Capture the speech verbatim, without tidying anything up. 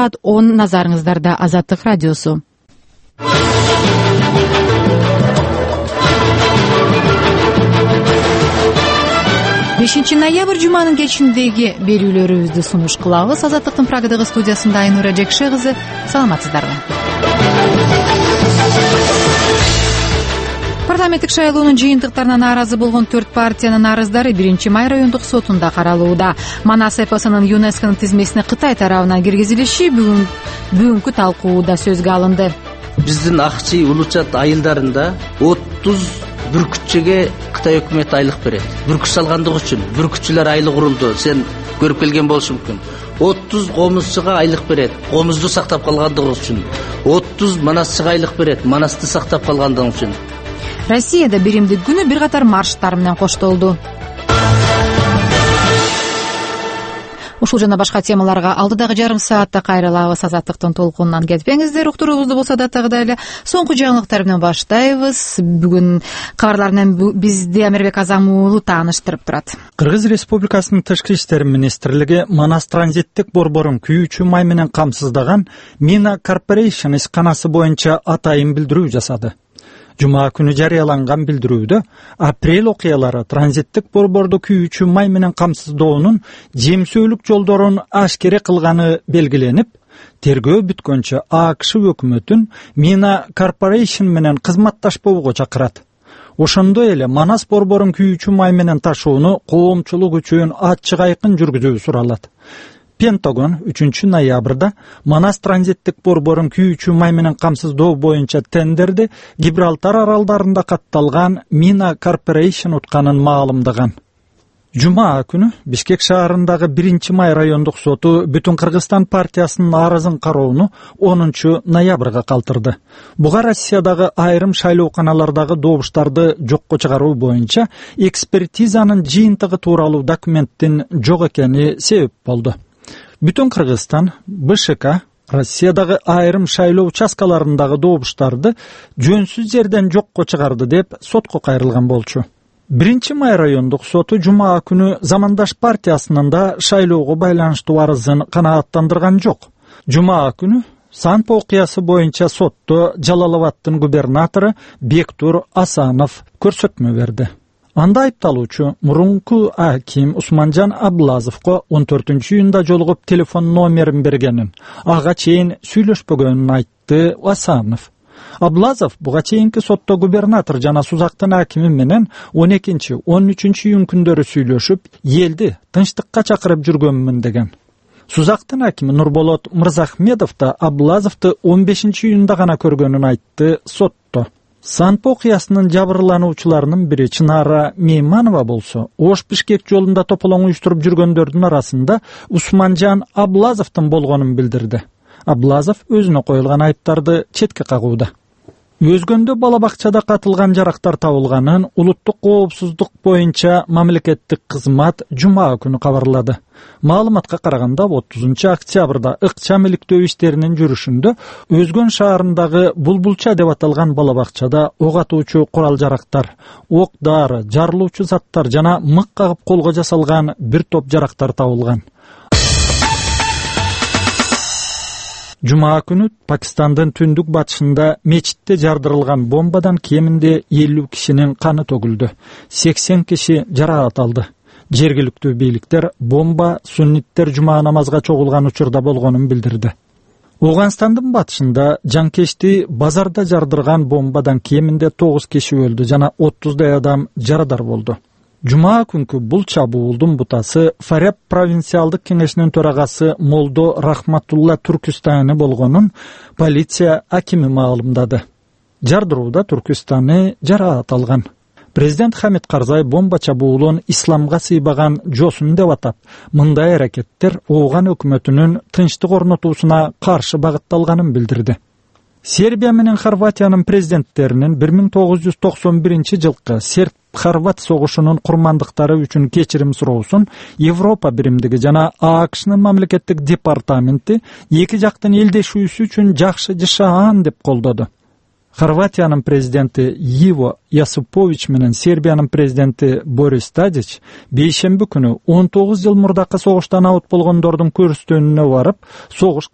саат он назарыңыздарда Азаттык радиосу. бешинчи ноябрь жуманын кечиндеги берүүлөрүбүздү сунуш кылабыз. Азаттыктын Прагадагы студиясында Айнура Жекше кызы. Саламатсыздарбы? Парламенттик шайлоонун жыйынтыктарына нааразы болгон төрт партиянын арыздары биринчи май райондук сотунда каралууда. Манас эпосунун ЮНЕСКОнун тизмесине Кытай тарабынан киргизилиши бүгүн бүгүнкү талкууда сөзгө алынды. Биздин Акчи Улучат айылдарында отуз бүркүтчүгө Кытай өкмөтү айлык берет. Бүркүт салгандык үчүн бүркүтчүлөр айлык курулду. Сен көрүп келген болушу мүмкүн. отуз комузчуга айлык берет. Комузду сактап калгандыгы үчүн. отуз манасчыга айлык берет. Манасты сактап калгандыгы үчүн. Россияда биримдик күнү бир катар марштар менен коштолду. Ушул жана башка темаларга алдыдагы жарым саатта кайрылабыз. Азаттыктын толкунунан кетпеңиздер. Уктуруубузду болсо да тагыдай эле соңку жаңылыктар менен баштайбыз. Бүгүн кабарлар менен бизди Амирбек Азам уулу тааныштырып турат. Кыргыз Республикасынын Тышкы иштер министрлиги Манас транзиттик борборун күйүүчү май менен камсыздаган Mina Corporation ишканасы боюнча атайын билдирүү жасады. Жума күнү жарыяланган билдирүүдө апрель окуялары транзиттик борборду күйүүчү май менен камсыздоонун жемсөөлүк жолдорун ашкере кылганы белгиленип, тергөө бүткөнчө АКШ өкмөтүн Mina Corporation менен кызматташпоого чакырат. Ошондой эле Манас борборун күйүүчү май менен ташууну коомчулук үчүн ачык айкын жүргүзүү суралат. Пентагон үчүнчү ноябрда Манас транзиттик борборун күйүүчү май менен камсыздоо боюнча тендерди Гибралтар аралдарында катталган Mina Corporation утканын маалымдаган. Жума күнү Бишкек шаарындагы биринчи май райондук соту Бүтүн Кыргызстан партиясынын арызын кароону онунчу ноябрга калтырды. Буга Россиядагы айрым шайлооканалардагы добуштарды жокко чыгаруу боюнча экспертизанын жыйынтыгы тууралуу документтин жок экени себеп болду. Бүтүн Кыргызстан БШК Россиядагы айрым шайлоо участкаларындагы добуштарды жөнсүз жерден жокко чыгарды деп сотко кайрылган болчу. биринчи май райондук соту жума күнү Замандаш партиясынын да шайлоого байланыштуу арызын канааттандырган жок. Жума күнү Санпо окуясы боюнча сотто Жалал-Абадтын губернатору Бектур Асанов көрсөтмө берди. Анда айыпталуучу мурунку аким Усманжан Аблазовго он төртүнчү июнда жолугуп телефон номерин бергенин, ага чейин сүйлөшпөгөнүн айтты Асанов. Аблазов буга чейинки сотто губернатор жана Сузактын акими менен он экинчи он үчүнчү июнь күндөрү сүйлөшүп, элди тынчтыкка чакырып жүргөнмүн деген. Сузактын акими Нурболот Мырзахмедов да Аблазовду он бешинчи июнда гана көргөнүн айтты сотто. Санпо окуясынын жабырлануучуларынын бири Чынара Мейманова болсо, Ош-Бишкек жолунда тополоң уюштуруп жүргөндөрдүн арасында Усманжан Аблазовдун болгонун билдирди. Аблазов өзүнө коюлган айыптарды четке кагууда. Өзгөндө бала бакчада катылган жарактар табылганын улуттук коопсуздук боюнча мамлекеттик кызмат жума күнү кабарлады. Маалыматка караганда отузунчу октябрда ыкчам иликтөө иштеринин жүрүшүндө Өзгөн шаарындагы Булбулча деп аталган бала бакчада ок атуучу курал жарактар, ок дары, жарылуучу заттар жана мык кагып колго жасалган бир топ жарактар табылган. Жума күнү Пакистандын түндүк батышында мечитте жардырылган бомбадан кеминде элүү кишинин каны төгүлдү. сексен киши жаракат алды. Жергиликтүү бийликтер бомба сунниттер жума намазга чогулган учурда болгонун билдирди. Ооганстандын батышында жанкечти базарда жардырган бомбадан кеминде тогуз киши өлдү жана отуздай адам жарадар болду. Жума күнкү бул чабуулдун бутасы Фаряб провинциалдык кеңешинин төрагасы Молдо Рахматулла Түркүстаны болгонун полиция акими маалымдады. Жардырууда Түркүстаны жараат алган. Президент Хамид Карзай бомба чабуулун исламга сыйбаган жосун деп атап, мындай аракеттер Ооган өкмөтүнүн тынчтык орнотуусуна каршы багытталганын билдирди. Сербия менен Хорватиянын президенттеринин бир миң тогуз жүз токсон биринчи жылкы Серб-Хорват согушунун курмандыктары үчүн кечирим суроосун Европа биримдиги жана АКШнын мамлекеттик департаменти эки жактын элдешүүсү үчүн жакшы жашаан деп колдоду. Хорватиянын президенти Иво Јасипович менен Сербиянын президенти Борис Тадич бейшемби күнү он тогуз жыл мурдакы согуштан абут болгондордун көрүстөнүнө барып, согуш